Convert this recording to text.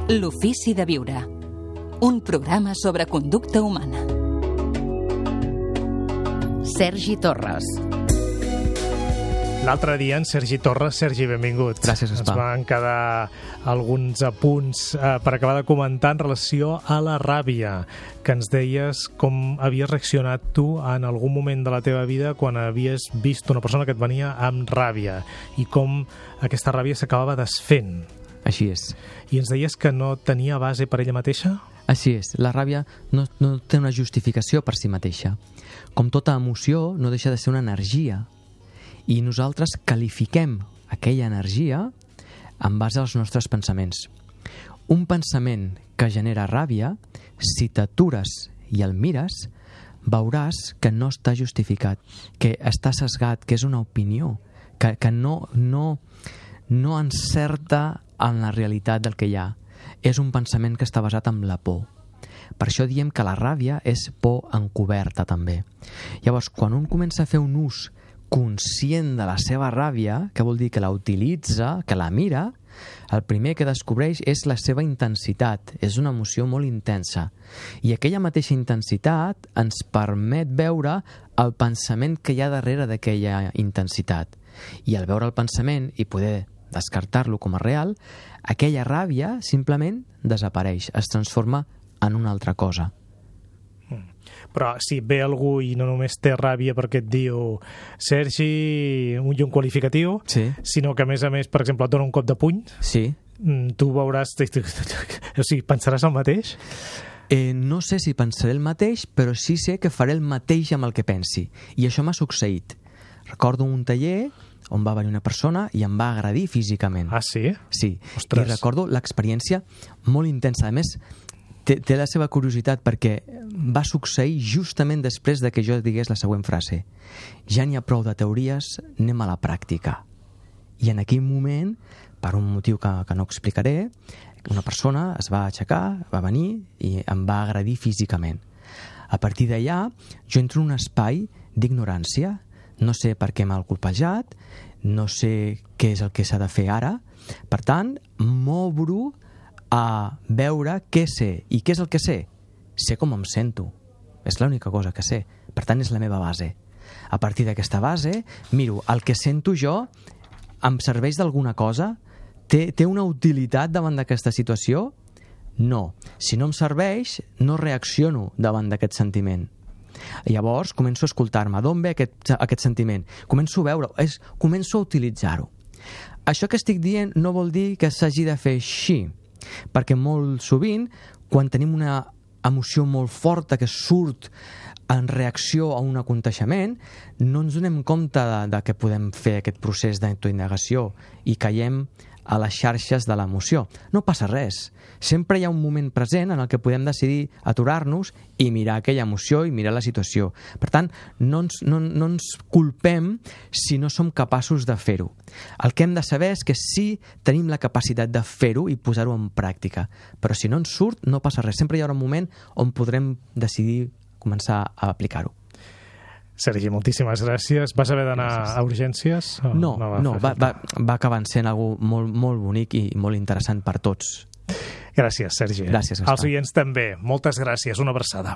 L'ofici de viure. Un programa sobre conducta humana. Sergi Torres. L'altre dia en Sergi Torres. Sergi, benvingut. Gràcies, Ens van quedar alguns apunts per acabar de comentar en relació a la ràbia, que ens deies com havies reaccionat tu en algun moment de la teva vida quan havies vist una persona que et venia amb ràbia i com aquesta ràbia s'acabava desfent. Així és. I ens deies que no tenia base per ella mateixa? Així és. La ràbia no té una justificació per si mateixa. Com tota emoció, no deixa de ser una energia. I nosaltres qualifiquem aquella energia en base als nostres pensaments. Un pensament que genera ràbia, si t'atures i el mires, veuràs que no està justificat, que està sesgat, que és una opinió, que no encerta en la realitat del que hi ha. És un pensament que està basat en la por. Per això diem que la ràbia és por encoberta també. Llavors, quan un comença a fer un ús conscient de la seva ràbia, que vol dir que la utilitza, que la mira, el primer que descobreix és la seva intensitat. És una emoció molt intensa. I aquella mateixa intensitat ens permet veure el pensament que hi ha darrere d'aquella intensitat. I al veure el pensament i poder descartar-lo com a real, aquella ràbia simplement desapareix, es transforma en una altra cosa. Però si ve algú i no només té ràbia perquè et diu Sergi, un qualificatiu, sí, sinó que a més, per exemple, et dona un cop de puny, sí, tu veuràs... O sigui, pensaràs el mateix? No sé si pensaré el mateix, però sí sé que faré el mateix amb el que pensi. I això m'ha succeït. Recordo un taller on va venir una persona i em va agredir físicament. Ah, sí? Sí. Ostres. I recordo l'experiència molt intensa. A més, té la seva curiositat perquè va succeir justament després de que jo digués la següent frase: ja n'hi ha prou de teories, anem a la pràctica. I en aquell moment, per un motiu que no explicaré, una persona es va aixecar, va venir i em va agredir físicament. A partir d'allà, jo entro en un espai d'ignorància. No sé per què m'ha colpejat, no sé què és el que s'ha de fer ara. Per tant, m'obro a veure què sé. I què és el que sé? Sé com em sento. És l'única cosa que sé. Per tant, és la meva base. A partir d'aquesta base, miro, el que sento jo em serveix d'alguna cosa? Té una utilitat davant d'aquesta situació? No. Si no em serveix, no reacciono davant d'aquest sentiment. Llavors començo a escoltar-me. D'on ve aquest sentiment? Començo a veure, començo a utilitzar-ho. Això que estic dient no vol dir que s'hagi de fer així, perquè molt sovint, quan tenim una emoció molt forta que surt en reacció a un aconteixement, no ens donem compte de que podem fer aquest procés d'autoindagació i caiem a les xarxes de l'emoció. No passa res. Sempre hi ha un moment present en el que podem decidir aturar-nos i mirar aquella emoció i mirar la situació. Per tant, no ens culpem si no som capaços de fer-ho. El que hem de saber és que sí tenim la capacitat de fer-ho i posar-ho en pràctica. Però si no ens surt, no passa res. Sempre hi haurà un moment on podrem decidir començar a aplicar-ho. Sergi, moltíssimes gràcies. Vas haver d'anar a urgències? No, va acabar sent algo molt, molt bonic i molt interessant per tots. Gràcies, Sergi. Gràcies, Gaspar. Als oients també. Moltes gràcies. Una abraçada.